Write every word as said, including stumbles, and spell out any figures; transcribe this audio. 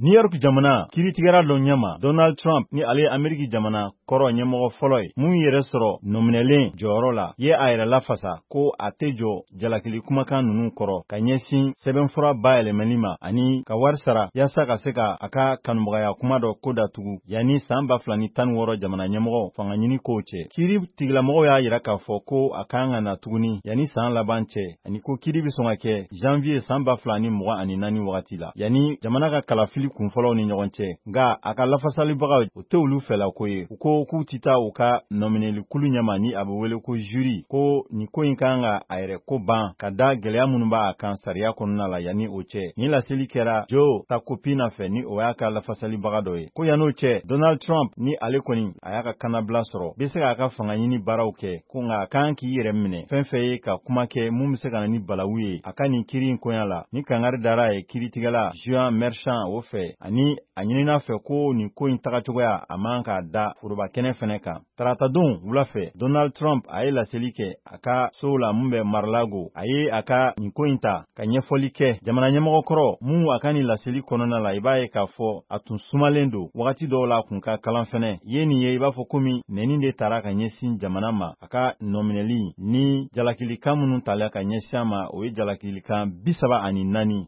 New York jamana kiiritigɛra dɔ ɲɛma, Donald Trump, ni ale ye Ameriki jamana kɔrɔ ɲɛmɔgɔ fɔlɔ ye mun yɛrɛ sɔrɔ nɔminɛlen jɔyɔrɔ la, ye a yɛrɛ lafasa ko a tɛ jɔ jalakili kumakan ninnu kɔrɔ ka ɲɛsin sɛbɛnfura bayɛlɛmani ma ani ka wari sara yaasa ka se ka a ka kanubagaya kuma dɔ ko datugu yanni san ba fila ni tan ni wɔɔrɔ jamana ɲɛmɔgɔ fanga ɲini kow cɛ. Kiiri tigilamɔgɔw y'a yira k'a fɔ ko a kan ka na tuguni yanni san laban cɛ, ani ko kiiri bɛ sɔn ka kɛ janvier san ba fila ni mugan ani naani wagati la, yanni jamana ka kalafili kunfɔlɔw ni ɲɔgɔn cɛ. Nka a ka lafasalibagaw, o tɛ olu fɛlako ye. U ko k'u tɛ taa u ka nɔminɛlikulu ɲɛma ni a bɛ wele ko jury, ko nin ko in kan ka a yɛrɛ ko ban ka da gɛlɛya minnu b'a kan sariya kɔnɔna la yanni o cɛ. Nin laseli kɛra Joe Tacopina fɛ, ni o y'a ka lafasalibaga dɔ ye. Ko yann'o cɛ, Donald Trump, ni ale kɔni a y'a ka kannabila sɔrɔ, bɛ se k'a ka fanga ɲini baaraw kɛ, ko nka a kan k'i yɛrɛ minɛ fɛn fɛn ye ka kuma kɛ mun bɛ se ka na ni balawu ye a ka nin kiiri in koɲa la. Ni kangari dara a ye kiiritigɛla Juan Merchan o fɛ, ani a ɲinina fɛ ko nin ko in tagacogoya a man k'a da foroba kɛnɛ fɛnɛ kan. Taratadon wula fɛ, Donald Trump a ye laseli kɛ a ka so la mun bɛ Mar-a-Lago. A ye a ka nin ko in ta ka ɲɛfɔli kɛ jamana ɲɛmɔgɔ kɔrɔ mun a ka nin laseli kɔnɔna la, i b'a ye k'a fɔ a tun sumalen don wagati dɔw la, a kun ka kalan fɛnɛ ye nin ye, i b'a fɔ komi nɛni de tara ka ɲɛsin jamana ma. A ka nɔminɛli ni jalakilikan minnu tala ka ɲɛsin a ma, o ye jalakilikan bi saba ani naani.